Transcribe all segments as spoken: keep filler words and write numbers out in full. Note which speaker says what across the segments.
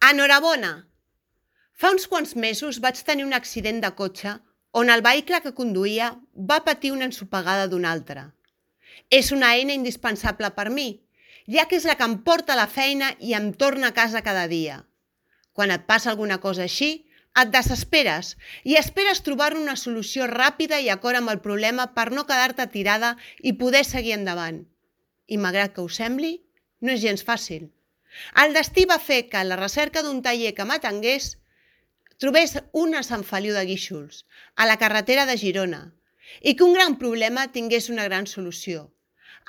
Speaker 1: Enhorabona! Fa uns quants mesos vaig tenir un accident de cotxe on el vehicle que conduïa va patir una ensopegada d'un altre. És una eina indispensable per mi, ja que és la que em porta a la feina i em torna a casa cada dia. Quan et passa alguna cosa així, et desesperes i esperes trobar-ne una solució ràpida i acord amb el problema per no quedar-te tirada i poder seguir endavant. I malgrat que us sembli, no és gens fàcil. El destí va fer que, a la recerca d'un taller que m'atengués, trobés una a Sant Feliu de Guíxols, a la carretera de Girona, i que un gran problema tingués una gran solució.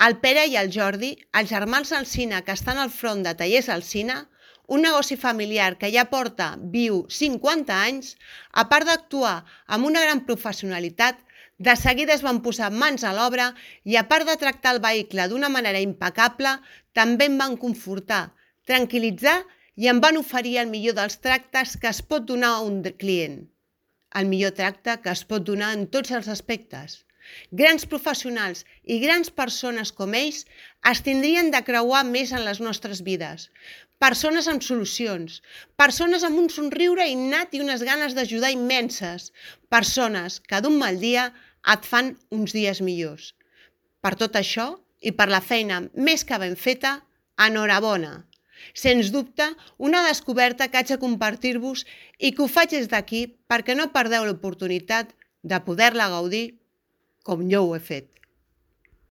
Speaker 1: El Pere i el Jordi, els germans Alsina que estan al front de Tallers Alsina, un negoci familiar que ja porta viu cinquanta anys, a part d'actuar amb una gran professionalitat, de seguida es van posar mans a l'obra i a part de tractar el vehicle d'una manera impecable, també em van confortar, tranquil·litzar i em van oferir el millor dels tractes que es pot donar a un client. El millor tracte que es pot donar en tots els aspectes. Grans professionals i grans persones com ells es tindrien de creuar més en les nostres vides. Persones amb solucions, persones amb un somriure innat i unes ganes d'ajudar immenses, persones que d'un mal dia et fan uns dies millors. Per tot això i per la feina més que ben feta, enhorabona! Sens dubte, una descoberta que haig de compartir-vos i que ho faig des d'aquí perquè no perdeu l'oportunitat de poder-la gaudir com jo ho he fet.